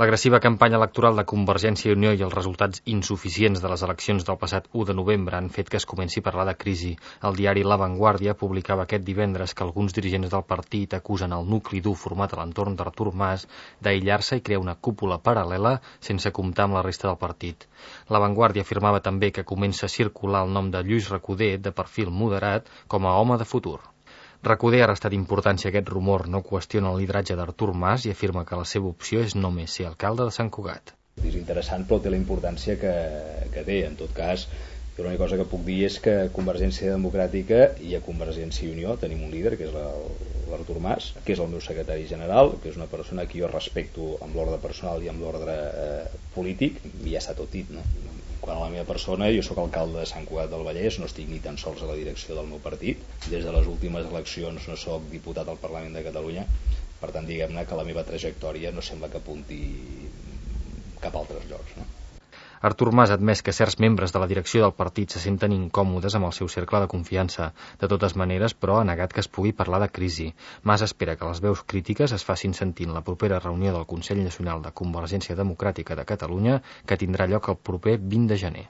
L'agressiva campanya electoral de Convergència i Unió i els resultats insuficients de les eleccions del passat 1 de novembre han fet que es comenci a parlar de crisi. El diari La Vanguardia publicava aquest divendres que alguns dirigents del partit acusen el nucli dur format a l'entorn d'Artur Mas d'aïllar-se i crear una cúpula paral·lela sense comptar amb la resta del partit. La Vanguardia afirmava també que comença a circular el nom de Lluís Recoder, de perfil moderat, com a home de futur. Recoder ha restat importància a aquest rumor, no qüestiona el lideratge d'Artur Mas i afirma que la seva opció és només ser alcalde de Sant Cugat. És interessant, però té la importància que té. En tot cas, l'única cosa que puc dir és que a Convergència Democràtica i a Convergència i Unió tenim un líder, que és l'Artur Mas, que és el meu secretari general, que és una persona que jo respecto amb l'ordre personal i amb l'ordre polític, i ja està tot dit, no? Quant a la meva persona, jo sóc alcalde de Sant Cugat del Vallès, no estic ni tan sols a la direcció del meu partit. Des de les últimes eleccions no sóc diputat al Parlament de Catalunya, per tant, diguem-ne que la meva trajectòria no sembla que apunti cap a altres llocs, no? Artur Mas ha admès que certs membres de la direcció del partit se senten incòmodes amb el seu cercle de confiança. De totes maneres, però, ha negat que es pugui parlar de crisi. Mas espera que les veus crítiques es facin sentir en la propera reunió del Consell Nacional de Convergència Democràtica de Catalunya, que tindrà lloc el proper 20 de gener.